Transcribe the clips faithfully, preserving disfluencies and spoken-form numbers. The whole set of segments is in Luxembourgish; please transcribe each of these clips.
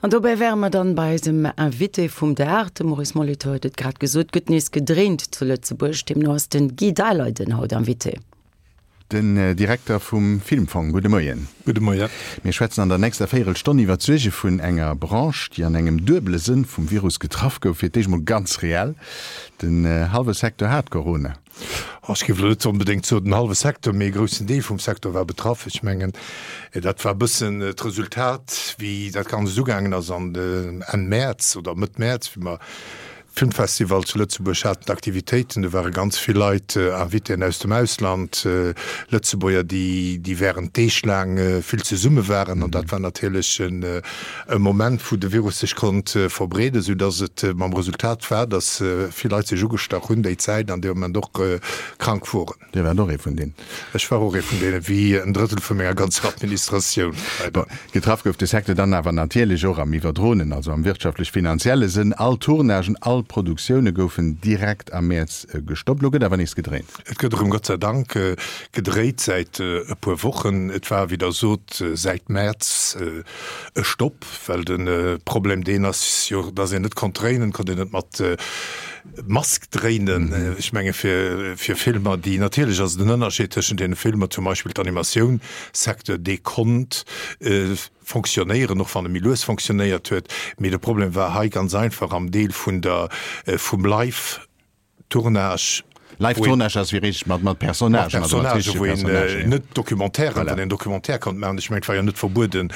An dobäi wäre mer dann bei eisem Invité vum Dag, de Maurice Molitor huet et grad gesot, gëtt nees gedréint zu Lëtzebuerg, deemno ass den Guy Daleiden haut Invité. Den Direkter vum Filmfong, gudde Moien. Gudde Moien. Mir schwätzen an der nächster Véierelstonn iwwer d'Suerge vun enger Branche, déi an engem duebele Sënn vum Virus getraff gouf. Fir d'éischt mol ganz reell, den hallwe Secteur hat Corona. Ech géif elo net onbedéngt soen den hallwe Secteur, mee e groussen Deel vum Secteur war betraff. Ech mengen, dat war e bëssen d'Resultat, wéi dat Ganzt ugaangen ass an Enn Mäerz oder Mëtt Mäerz, wéi mer Filmfestival zu Lëtzebuerg haten, d'Aktivitéiten, do ware ganz vill Leit, Invitéen aus dem Ausland, Lëtzebuerger, déi, déi während Deeg laang vill zesumme waren. An dat war natierlech e Moment, wou de Virus sech konnt verbreeden, soudass et mam Resultat war, dass vill Leit sech ugestach hunn déi Zäit an dee Moment och krank woren. Dir waart och ee vun deenen? Ech war och ee vun deenen, wéi en Drëttel vu menger ganzer Administratioun, leider. Getraff gouf de Secteur dann awer natierlech och am iwwerdroenen, also am wirtschaftlech-finanzielle Sënn. All Tournagen, all Produktioune goufen direkt am Mäerz gestoppt. Elo gëtt awer nees gedréint. Et gëtt erëm, Gott sei Dank, gedréit säit e puer Wochen. Et war, wéi Der sot, säit Mäerz e Stopp, well de Problem deen ass jo, dass een net konnt dréinen, konnt een net mat Mask dréinen. Ech menge fir fir Filmer, déi, natierlech ass et en Ënnerscheed tëschent deene Filmer, zum Beispill d'Animatioun-Secteur, dee konnt fonctionnéieren, och wann e méi lues fonctionnéiert huet. Mee de Problem war hei ganz einfach am Deel vun der vum Live-Tournage. Live-Tournage ass wéi richteg mat mat Personnagen, also mat richtege Personnagen. Net Documentairen, wann een Documentaire konnt maachen. Ech mengen, et war jo net verbueden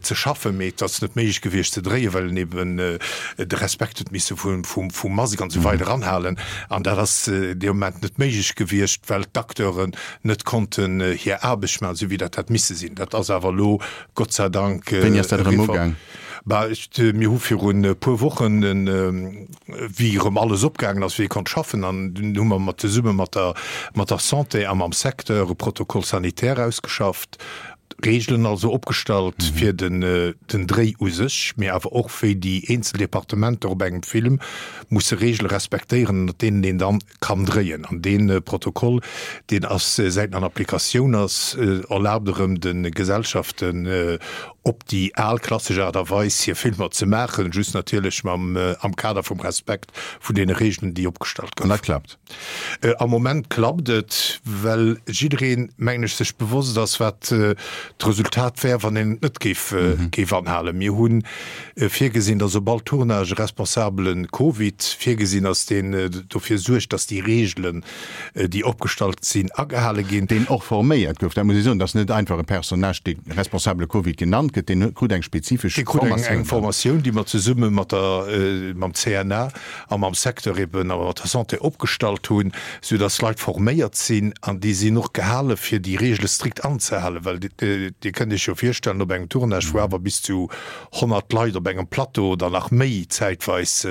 ze schaffen, mee et ass net méiglech gewiescht ze dréien, well een eben de Respekt huet misse vum vum Mask an esou weider anhalen. An dat ass dee Moment net méiglech gewiescht, well d'Acteuren net konnten hir Aarbecht maachen, esou wéi dat hätt misse sinn. Dat ass awer elo Gott sei Dank eriwwer. Wéini ass dat erëm ugaang? Bah, ech, mir hu virun e puer Wochen, wéi erëm alles opgaangen ass, wéi ee konnt schaffen, an dunn hu mer mat, zesumme mat der, mat der Santé a mam Secteur e Protocole sanitaire ausgeschafft, Regeln also opgestallt fir den, den Dréi u sech, mee awer och wéi déi eenzel Departementer op engem Film musse Regele respektéieren, ënnert deenen een dann kann dréien. An dee Protokoll, deen ass, säit en an Applikatioun ass, erlaabt erëm de Gesellschaften op déi al klassesch Aart a Weis hir Filmer ze maachen, just natierlech mam, am Kader vum Respekt vun deene Regeln, déi opgestallt goufen. An dat klappt? Am Moment klappt et, well jiddereen, mengen ech, sech bewosst ass, wat d'Resultat wär, wann een et net géif, géif anhalen. Mir hu virgesinn, datt op all Tournage e Responsabele Covid virgesinn ass, deen dofir suergt, datt déi Regeln, déi opgestallt sinn, agehale ginn. Deen och forméiert gouf, dat muss ee soen. Dat ass net einfach e Personnage, dee Responsabele Covid genannt gëtt, deen krut eng spezifesch Dee krut eng eng Formatioun, déi mer zesumme mat der, mam C N A a mam Secteur eben a mat der Santé opgestallt hunn, soudass Leit forméiert sinn an déi sinn och gehale fir déi Regele strikt anzehalen, well Dir kënnt Iech jo virstellen, op engem Tournage, wou awer bis zu honnert Leit op engem Plateau oder nach méi zäitweis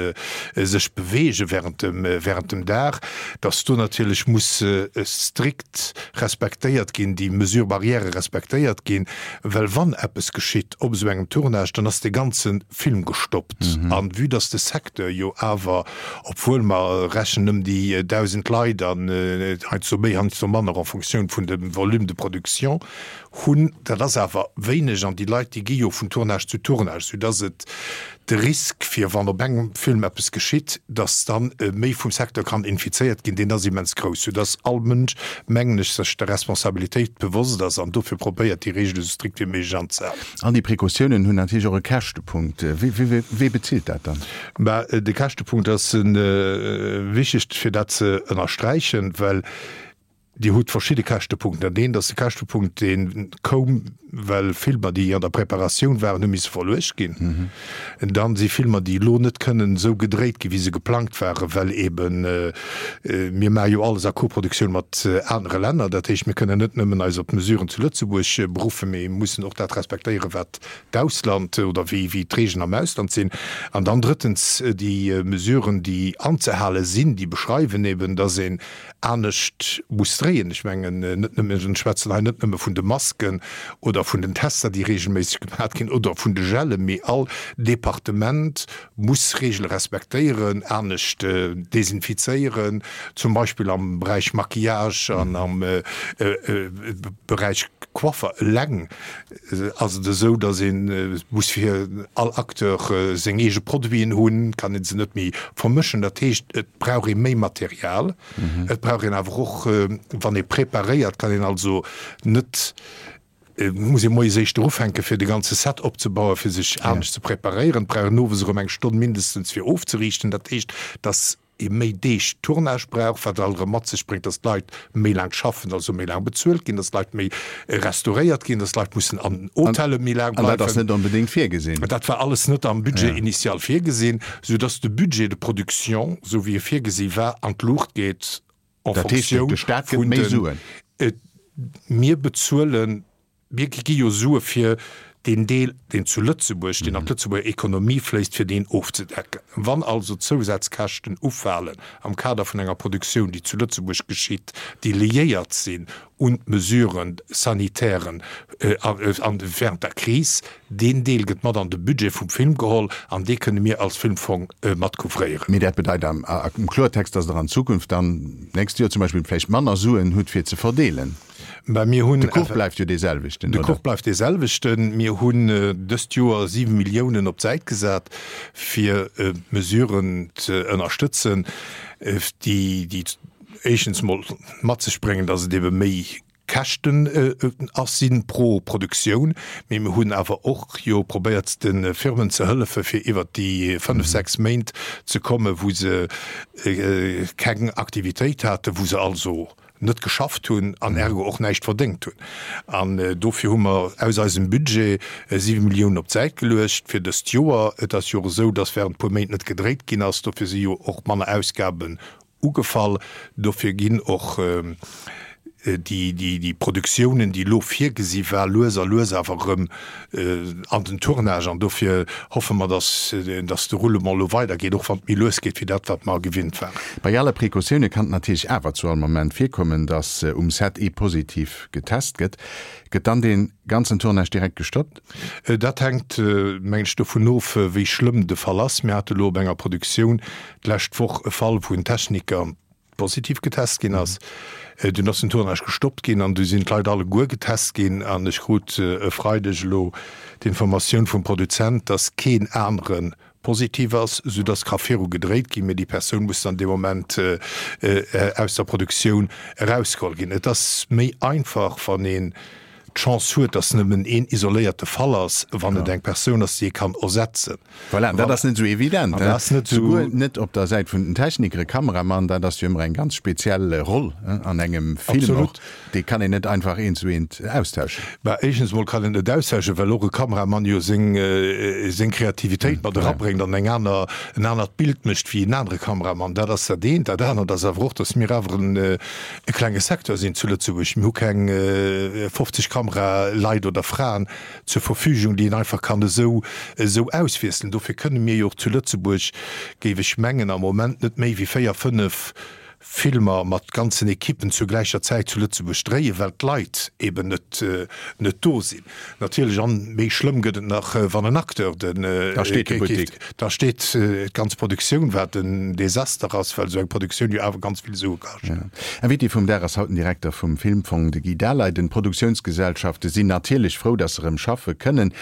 sech beweege während dem, während dem Dag, dass do natierlech muss strikt respektéiert ginn, déi Mesures barrières respektéiert ginn, well wann eppes geschitt op esou engem Tournage, dann ass dee ganze Film gestoppt. An vue dass de Secteur jo awer, obwuel mer rechnen ëm déi dausend Leit an heiansdo méi, heiansdo manner en fonction vun dem Volume de production hunn, dat ass awer wéineg an déi Leit, déi gi jo vun Tournage zu Tournage, soudass et de Risk, fir wann op engem Film eppes geschitt, dass dann méi vum Secteur kann infizéiert ginn, deen ass immens grouss, soudass all Mënsch, mengen ech, sech der Responsabilitéit bewosst ass an dofir probéiert, déi Reegele sou strikt wéi méiglech anzehalen. All déi Precautiounen hunn natierlech och e Käschtepunkt. Wee bezilt dat dann? Bah, de Käschtepunkt ass wichteg, fir dat ze ënnersträichen, well Dir hutt verschidde Käschtepunkten. Dat eent ass de Käschtepunkt, dee koum, well Filmer, déi an der Preparatioun waren, hu misse verluecht ginn. Dann si Filmer, déi elo net kënnen esou gedréit ginn, wéi se geplangt waren, well eeben, mir maache jo alles a Koproduktioun mat anere Länner. Dat heescht, mir kënnen net nëmmen eis op d'Mesuren zu Lëtzebuerg beruffen, mee mussen och dat respektéieren, wat d'Ausland oder wéi d'Regeln am Ausland sinn. An dann drëttens déi Mesuren, déi anzehale sinn, déi beschreiwen eeben, dass een anescht muss dréien. Ech mengen net nëmmen, ech schwätzen hei net nëmme vun de Masken oder vun den Tester, déi regelméisseg gemaat ginn, oder vun de Gellen, mee all Departement muss Regele respektéieren, anescht desinfizéieren, zum Beispill am Beräich Maquillage an am Beräich Coiffer. Eleng ass et esou, datt ee muss fir all Acteur seng eege Produiten hunn, kann ee se net méi vermëschen. Dat heescht, et brauch ee méi Material. Et brauch een awer och, wann ee preparéiert, kann een also net, muss ee moies éischter ufänken, fir de ganze Set opzebauen, fir sech anescht ze preparéieren. Et brauch een owes erëm eng Stonn mindestens, fir ofzeriichten. Dat heescht, datt ee méi Deeg Tournage brauch, wat alt erëm mat sech bréngt, datt d'Leit méi laang schaffen, also méi laang bezuelt ginn, datt d'Leit méi restauréiert ginn, datt d'Leit mussen an Hotelle méi laang An dat ass bleiwen. net onbedéngt virgesinn. Dat war alles net am Budget initial virgesinn, soudatt de Budget de production, esou wéi e virgesi war, an d'Luucht geet en Dat heescht, Fonctioun de Staat gëtt vun méi den, Suen. Mir bezuelen, mir gi jo Sue fir deen Deel, deen zu Lëtzebuerg, deen an d'Lëtzebuerger Ekonomie fléisst, fir deen ofzedecken. Wann also Zousazkäschten ufalen am Kader vun enger Produktioun, déi zu Lëtzebuerg geschitt, déi liéiert sinn un d'Mesures sanitairen während der Kris, deen Deel gëtt mat an de Budget vum Film geholl an dee kënne mir als Filmfong mat couvréieren. Mee dat bedeit am Kloertext, dass Der an Zukunft dann, d'nächst Joer zum Beispill, vläicht manner Suen hutt fir ze verdeelen. Mä mir hunn. De Kuch bleift jo dee selwechten, De oder? Kuch bleift dee selwechten. Mir hunn dëst Joer siwe Milliounen op d'Säit gesat, fir Mesuren ze ënnerstëtzen, déi, déi éischtens mol mat sech bréngen, datt et ebe méi Käschten ass sinn pro Produktioun. Mee mir hunn awer och jo probéiert, de Firmen ze hëllefe fir iwwert déi fënnef, sechs Méint ze kommen, wou se keng Aktivitéit haten, wou se also net geschafft hunn an ergo och näischt verdéngt hunn. An dofir hu mer aus eisem Budget siwe Milliounen op d'Säit geluecht fir dëst Joer. Et ass jo och esou, datt während e puer Méint net gedréit ginn ass. Dofir si jo och manner Ausgaben ugefall. Dofir ginn och déi Produktiounen, déi elo virgesi war, lues a lues awer erëm an den Tournage. An dofir hoffe mer, dass de Roulement elo weidergeet, och wann et méi lues geet wéi dat, wat mer gewinnt waren. Bei alle Precautioune kann et natierlech awer zu all Moment virkommen, dass um Set ee positiv getest gëtt. Gëtt dann dee ganzen Tournage direkt gestoppt? Dat hänkt, mengen ech, dovun of, wéi schlëmm de Fall ass. Mir hate elo op enger Produktioun d'lescht Woch e Fall, wou en Techniker positiv getest ginn ass. Dunn ass den Tournage gestoppt ginn an du sinn d'Leit alleguer getest ginn. An ech krut e Freideg elo d'Informatioun vum Produzent, dass keen anere positiv ass, soudass ka viru gedréit ginn, mee déi Persoun muss dann dee Moment aus der Produktioun erausgeholl ginn. Et ass méi einfach, wann een d'Chance huet, dass nëmmen een isoléierte Fall ass, wann et eng Persoun ass, déi ee kann ersetzen. Voilà, an dat ass net esou evident, An dat ass net esou. Souguer net op der Säit vun den Technikere, Kameramann, dat ass jo ëmmer eng ganz speziell Roll an engem Film och. Absolut. Déi kann een net einfach eent zu eent austauschen. Bah, éischtens emol kann een net austauschen, well och e Kameramann jo seng, seng Kreativitéit mat erabréngt an eng aner, en anert Bild mécht wéi en anere Kameramann. Dat ass dat eent. Dat anert ass awer och, dass mir awer en, e klenge Secteur sinn zu Lëtzebuerg. Mir hu keng fofzeg Kameraleit oder Fraen zur Verfügung, déi een einfach kann esou esou auswiesselen. Dofir kënne mir jo och zu Lëtzebuerg, géif ech mengen, am Moment net méi wéi véier, fënnef Filmer mat ganzen Ekippen zur gläicher Zäit zu Lëtzebuerg dréien, well d'Leit eben net net do sinn. Natierlech, an méi schlëmm gëtt et nach, wann en Acteur den Da steet de Buttek. Da steet d'ganz Produktioun, wat en Desaster ass, well esou eng Produktioun jo awer ganz vill Sue kascht. Invité vum Dag ass haut den Direkter vum Filmfong, de Guy Daleiden. D'Produktiounsgesellschafte sinn natierlech frou, datt se erëm schaffe kënnen.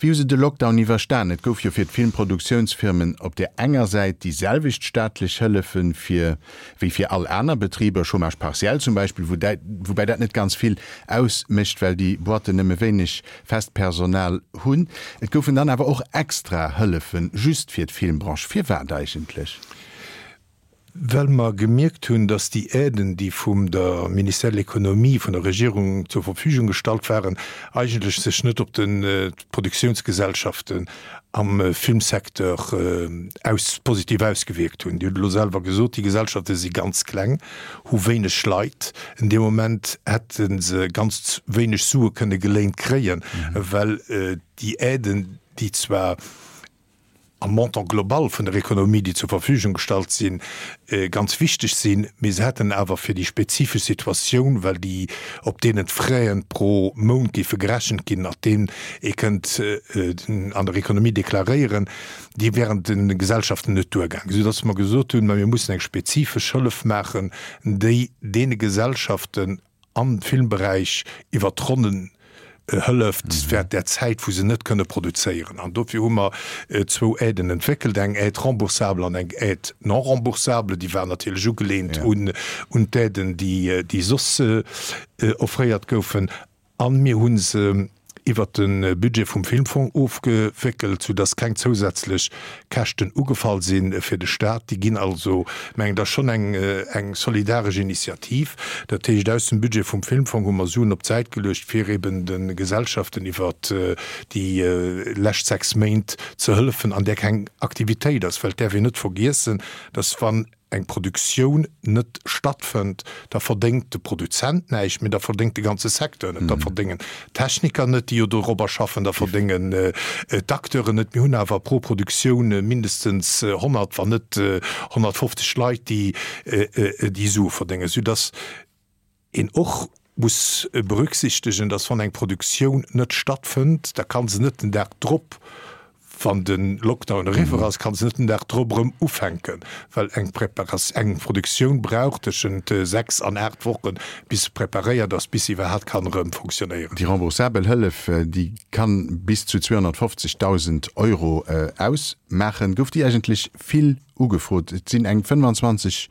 Wéi hu se de Lockdown iwwerstan? Et gouf jo fir d'Filmproduktiounsfirmen op där enger Säit déi selwecht staatlech Hëllefe fir wéi fir all aner Betriber, Chômage partiel zum Beispill, woubäi dat net ganz vill ausmécht, well déi Boîten nëmme wéineg fest Personal hunn. Et goufen dann awer och extra Hëllefe just fir d'Filmbranche. Firwat eigentlech? Well mer gemierkt hunn, dass déi Aiden, déi vum der Ministère de l'Économie, vun der Regierung zur Verfügung gestallt waren, eigentlech sech net op d'Produktiounsgesellschaften am Filmsecteur aus positiv ausgewierkt hunn. Dir hutt elo selwer gesot, déi Gesellschafte si ganz kleng, hu wéineg Leit. En deem Moment hätte se ganz wéineg Sue kënne geléint kréien, well déi Aiden, déi zwar am Montant global vun der Ekonomie, déi zur Verfügung gestallt sinn, ganz wichteg sinn, mee se hätten awer fir déi spezifesch Situatioun, well déi op deenen d'Fraisen pro Mount géife gerechent ginn, nach deem ee kënnt an der Ekonomie deklaréieren, déi wären de Gesellschaften net duergaangen, soudass mer gesot hunn, ma mir mussen eng spezifesch Hëllef maachen, déi deene Gesellschaften am Filmberäich iwwert d'Ronnen hëlleft während där Zäit, wou se net kënne produzéieren. An dofir hu mer zwou Aiden entwéckelt, eng Aide remboursable an eng Aide non remboursable. Déi war natierlech ugeleent un d'Aiden, déi soss offréiert goufen. A mir hu se iwwert de Budget vum Filmfong ofgewéckelt, soudass keng zousätzlech Käschten ugefall si fir de Stat. Déi ginn also, mengen, dat ass schonn eng solidaresch Initiativ. Dat heescht, aus dem Budget vum Filmfong hu mer Suen op d'Säit geluecht, fir eben de Gesellschaften iwwert déi lescht sechs Méint ze hëllefen, an där keng Aktivitéit ass. Well et däerf een net vergiessen, dass wann eng Produktioun net stattfënnt, da verdéngt de Produzent näischt, mee da verdéngt de ganze Secteur net. Da verdéngen d'Techniker net, déi jo dorobber schaffen, da verdéngen d'Acteuren net. Mir hunn awer pro Produktioun mindestens honnert, wann net honnertfofzeg Leit, déi déi Sue verdéngen, soudass een och muss berücksichtegen, dass wann eng Produktioun net stattfënnt, da ka se net den Dag drop, wann de Lockdown eriwwer ass, ka se net den Dag drop erëm ufänken, well eng eng Produktioun brauch tëschent sechs an aacht Wochen, bis se preparéiert ass, bis se iwwerhaapt kann erëm fonctionnéieren. Déi remboursabel Hëllef, déi kann bis zu zweehonnertfofzegdausend Euro ausmaachen. Gouf déi eigentlech vill ugefrot? Et sinn eng fënnfanzwanzeg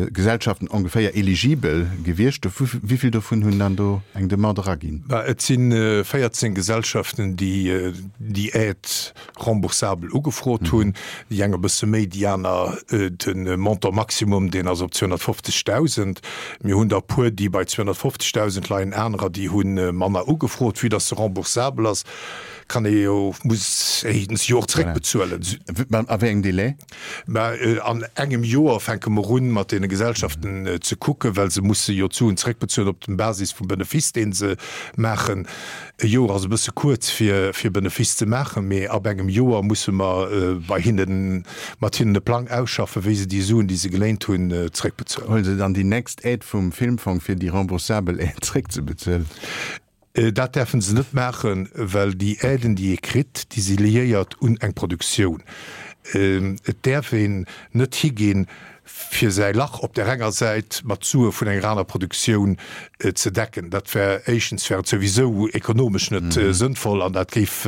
Gesellschaften ongeféier eligibel gewiescht. Wéi vill dovun hunn dann do eng Demande eraginn? Bah, et si véierzéng Gesellschaften, déi déi Aide remboursable ugefrot hunn. Déi eng e bësse méi, déi aner de Montant maximum, deen ass op zweehonnertfofzegdausend. Mir hunn der e puer, déi bei zweehonnertfofzegdausend leien, anerer, déi hu manner ugefrot. Vue dass se remboursabel ass, kann ee jo, muss ee se jo och zréckbezuelen. A wéi engem Délai? Mä an engem Joer fänke mer un, mat deene Gesellschaften ze kucken, well se musse jo d'Suen zréckbezuelen op dem Basis vum Benefiss, dee se maachen. E Joer ass e bësse kuerz, fir fir Benefiss ze maachen, mee ab engem Joer musse mer bei hinnen, mat hinnen e Plang ausschaffen, wéi se déi Suen, déi se geléint hunn, zréckbezuelen. Huele se dann déi nächst Aide vum Filmfong, fir déi remboursabel Aide zréckzebezuelen? Dat däerfe se net maachen, well déi Aiden, déi ee kritt, déi si liéiert un eng Produktioun. Et däerf een net higinn, fir säi Lach op där enger Säit mat Sue vun enger aner Produktioun ze decken. Dat wär, éischtens wär et souwisou ekonomesch net sënnvoll an dat géif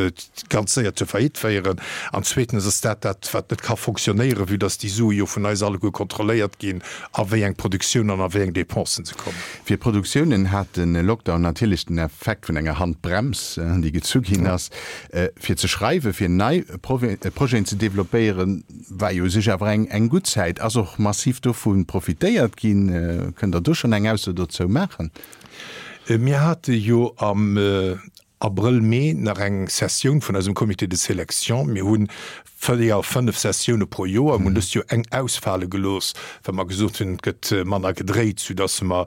ganz séier zur Faillite féieren. An zweetens ass dat dat, wat net ka fonctionnéieren, vue dass déi Sue jo vun eis alleguer kontrolléiert ginn, a wéi eng Produktioun an a wéi eng Dépensen se kommen. Fir d'Produktiounen hat de Lockdown natierlech den Effekt vun enger Handbrems, déi gezu ginn ass. Fir ze schreiwen, fir nei Projeten ze developpéieren, war jo u sech awer eng gutt Zäit. Ass och massiv dovu profitéiert ginn? Kënnt Der do schonn eng Ausso dozou maachen? Mir hate jo am Abrëll, Mee nach eng Sessioun vun eisem Comité de sélection. Mir hu véier, fënnef Sessioune pro Joer. Mir hunn dëst Joer eng ausfale gelooss, well mer gesot hunn, et gëtt manner gedréit, soudass mer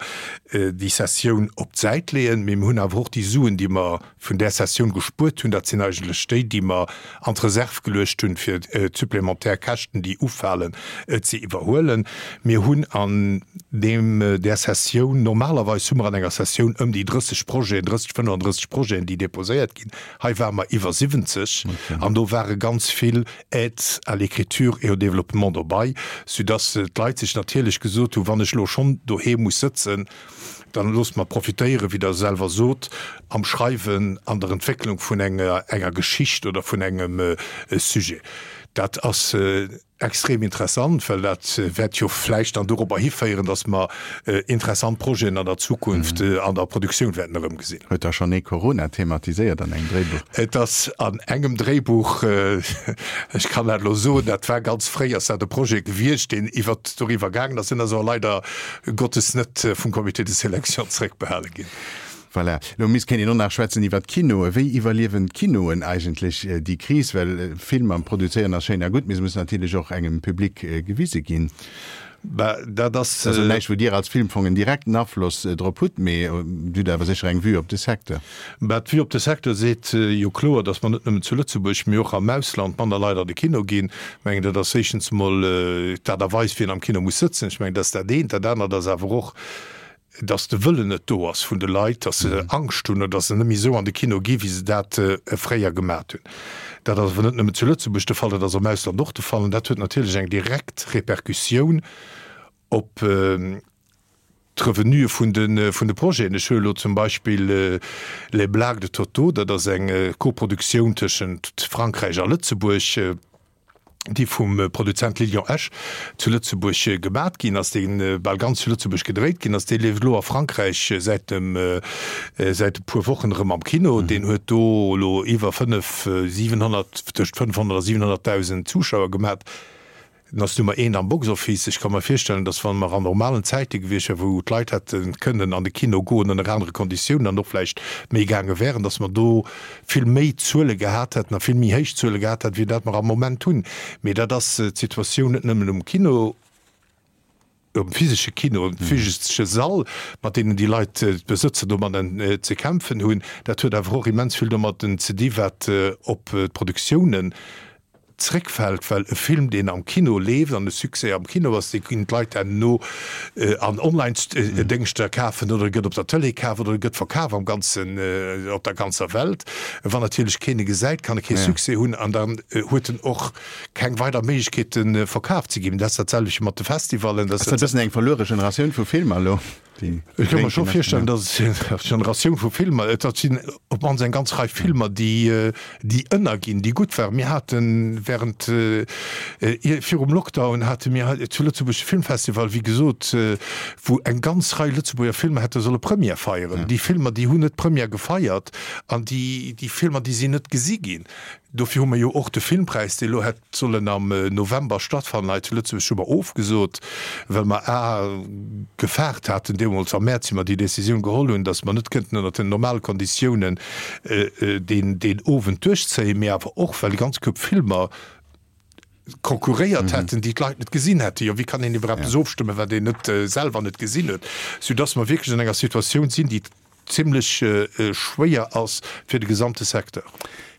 déi Sessioun op d'Säit leeën. Mee mir hunn awer och déi Suen, déi mer vun där Sessioun gespuert hunn, dat sinn eigentlech déi, déi mer an d'Reserv geluecht hunn, fir d'supplémentaire Käschten, déi ufalen, ze iwwerhuelen. Mir hunn an deem, där Sessioun, normalerweis hu mer an enger Sessioun ëm déi drësseg Projeten, drësseg, fënnefandrësseg Projeten, déi déposéiert ginn. Hei ware mer iwwer siwwenzeg an do ware ganz vill Aides à l'écriture et au développement dobei, soudass d'Leit sech natierlech gesot hunn, wann ech elo schonn doheem muss sëtzen, Dann loosst mer profitéieren, wéi Der selwer sot, am Schreiwen, an der Entwécklung vun enger enger Geschicht oder vun engem Sujet. Dat ass extrem interessant, well dat wäert jo vläicht dann dorobber hiféieren, dass mer interessant Projeten an der Zukunft an der Produktioun wäerten erëmgesinn. Huet da schonn ee Corona thematiséiert an engem Dréibuch? Et ass an engem Dréibuch, ech kann dat elo soen, dat war ganz fréi, ass dat e Projet gewiescht, deen iwwert doriwwer gaangen ass. Deen ass awer leider Gottes net vum Comité de sélection zréckbehale ginn. Voilà. Elo misst kéint een och nach schwätzen iwwert d'Kinoen. Wéi iwwerliewen d'Kinoen eigentlech déi Kris? Well Filmer produzéieren ass schéin a gutt, mee se mussen natierlech och engem Public gewise ginn. Bah, dat ass. Also näischt, wou Dir als Filmfong en direkten Afloss drop hutt, mee Dir hutt awer sécher eng Vue op de Secteur. Bah, d'Vue op de Secteur seet jo kloer, datt mer net nëmmen zu Lëtzebuerg, mee och am Ausland manner Leit an de Kino ginn. Ech mengen, dat ass éischtens emol d'Aart a Weis, wien am Kino muss sëtzen. Ech mengen, dat ass dat eent. Dat anert ass awer och, datt de Wëllen net do ass vun de Leit, datt se Angscht hunn oder datt se net méi esou an de Kino gi wéi se dat fréier gemat hunn. Dat ass awer net nëmmen zu Lëtzebuerg de Fall, dat ass am Ausland och de Fall an dat huet natierlech eng direkt Repercussioun op d'Revenuë vun de vun de Projeten. Ech huele elo zum Beispill Les Blagues de Toto, dat ass eng Koproduktioun tëschent Frankräich a Lëtzebuerg, déi vum Produzent Lilian Esch zu Lëtzebuerg gemat ginn ass, dee bal ganz zu Lëtzebuerg gedréit ginn ass. Dee leeft elo a Frankräich säit dem, säit e puer Wochen erëm am Kino. Deen huet do elo iwwer fënnef, siwenhonnert, tëscht fënnfhonnert a siwenhonnertdausend Zuschauer gemat. En ass Nummer eent am Box-Office. Ech ka mer virstellen, datt wa mer an normalen Zäite gewiescht wären, wou d'Leit hätte kënnen an de Kino goen ënner anere Konditiounen an och vläicht méi gaange wären, datt mer do vill méi Zuele gehat hätten a vill méi héich Zuele gehat hätten, wéi dat mer am Moment hunn. Mee dat ass d'Situatioun net nëmmen um Kino, um physesche Kino, um physesche Sall, mat deenen déi Leit, d'Besëtzer domadden ze kämpfen hunn. Dat huet awer och immens vill domadden ze di wat op d'Produktiounen zréckfält, well e Film, deen am Kino leeft an e Succès am Kino ass, dee ginn d'Leit herno an Online-Déngschter kafen oder e gëtt op der Tëlee kaf oder e gëtt verkaf am ganzen, op der ganzer Welt. Wann natierlech keen e gesäit, kann e kee Succès hunn an dann huet en och keng weider Méiglechkeeten, verkaf ze ginn. Dat ass dat selwecht mat de Festivallen. Ass dat e bëssen eng verluere Generatioun vu Filmer elo? Ech ka mer scho virstellen, datt et Generatioun vu Filmer, et sinn op d'mannst eng ganz Rei Filmer, déi déi ënnerginn, déi gutt waren. Mir hate während, virum Lockdown hate mir hei zu Lëtzebuerg de Filmfestival, wéi gesot, wou eng ganz Rei Lëtzebuerger Filmer hätte solle Première feieren. Déi Filmer, déi hunn net Première gefeiert an déi déi Filmer, déi sinn net gesi ginn. Dofir hu mer jo och de Filmpräis, dee elo hätt sollen am November stattfannen hei zu Lëtzebuerg, hu mer ofgesot, well mer a gefaart haten deemools am Mäerz, wéi mer déi Décisioun geholl hunn, datt mer net kënnten ënnert den normale Konditiounen deen deen Owend duerchzéien, mee awer och, well e ganz Koup Filmer konkurréiert hätten, déi d'Leit net gesinn hätten. Jo, wéi kann een iwwer eppes ofstëmmen, wat een net selwer net gesinn huet? Soudass mer wierklech an enger Situatioun sinn, déi zimlech schwéier ass fir de gesamte Secteur.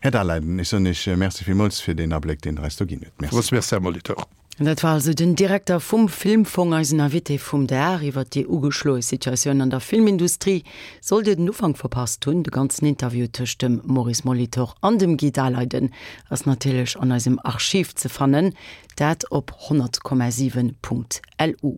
Här Daleiden, ech soen Iech Merci villmools fir deen Abléck, deen Der eis do ginn hutt. Merci. Grosse Merci, Här Molitor. Dat war also den Direkter vum Filmfong, eisen Invité vum Dag iwwer déi ugeschloe Situatioun an der Filmindustrie. Sollt Dir den Ufank verpasst hunn, de ganzen Interview tëscht dem Maurice Molitor an dem Guy Daleiden ass natierlech an eisem Archiv ze fannen, dat op honnert Komma siwen Punkt lu.